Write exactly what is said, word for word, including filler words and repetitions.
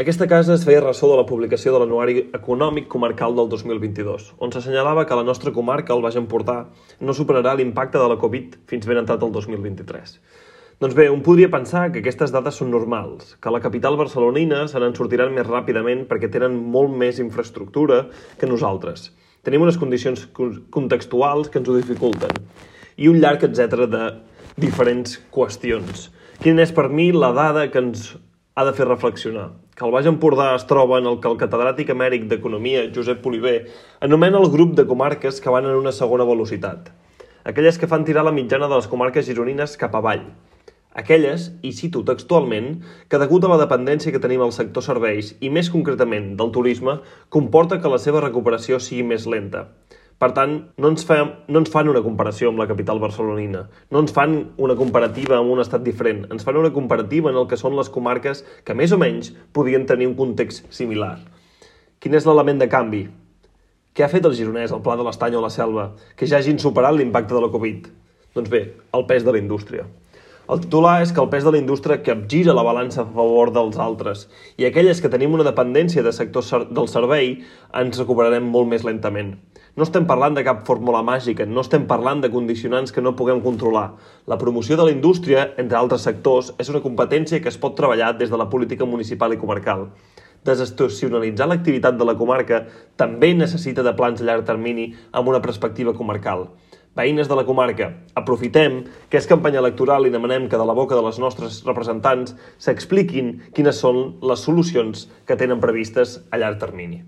Aquesta casa es feia ressò de la publicació de l'Anuari Econòmic Comarcal del dos mil vint-i-dos, on s'assenyalava que la nostra comarca, el Baix Empordà, no superarà l'impacte de la Covid fins ben entrat el dos mil vint-i-tres. Doncs bé, un podria pensar que aquestes dades són normals, que a la capital barcelonina se n'en sortiran més ràpidament perquè tenen molt més infraestructura que nosaltres. Tenim unes condicions contextuals que ens ho dificulten i un llarg etcètera de diferents qüestions. Quina és per mi la dada que ens ha de fer reflexionar? Que el Baix Empordà es troba en el que el catedràtic emèrit d'Economia, Josep Oliver, anomena el grup de comarques que van en una segona velocitat. Aquelles que fan tirar la mitjana de les comarques gironines cap avall. Aquelles, i cito textualment, que degut a la dependència que tenim al sector serveis i més concretament del turisme, comporta que la seva recuperació sigui més lenta. Per tant, no ens, fa, no ens fan una comparació amb la capital barcelonina, no ens fan una comparativa amb un estat diferent, ens fan una comparativa en el que són les comarques que més o menys podien tenir un context similar. Quin és l'element de canvi? Què ha fet el gironès, el Pla de l'Estany o la Selva, que ja hagin superat l'impacte de la Covid? Doncs bé, el pes de la indústria. El titular és que el pes de la indústria capgira la balança a favor dels altres i aquelles que tenim una dependència de sector del servei ens recuperarem molt més lentament. No estem parlant de cap fórmula màgica, no estem parlant de condicionants que no puguem controlar. La promoció de la indústria, entre altres sectors, és una competència que es pot treballar des de la política municipal i comarcal. Desestacionalitzar l'activitat de la comarca també necessita de plans a llarg termini amb una perspectiva comarcal. Veïnes de la comarca, aprofitem que és campanya electoral i demanem que de la boca de les nostres representants s'expliquin quines són les solucions que tenen previstes a llarg termini.